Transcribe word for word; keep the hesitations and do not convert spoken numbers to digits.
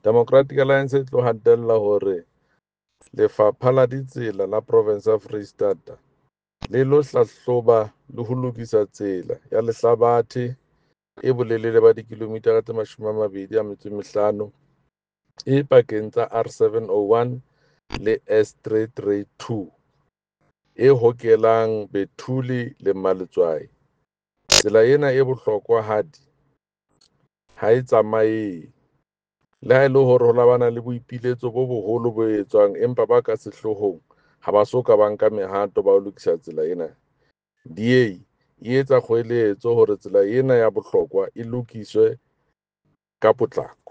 Democratic Alliance e tlo hatella hore Lefapha la Ditsela la Province ya Freistata le lo hlahloba le ho lokisa tsela ya lehlabathe e bolelele ba dikilomitara tse mashome a mabedi a metso e mehlano e pakeng tsa R seven oh one le S three three two e hokelang Bethulie le Maletswai. Tsela ena e bohlokwahadi ha e tsamaehe. Le ha e le hore ho la bana le boipiletso bo boholo bo etswang, empa ba ka sehloohong ha ba so ka ba nka mehato ba ho lokisa tsela ena. D A e etsa kgoeletso hore tsela ena ya bohlokwa e lokiswe ka potlako.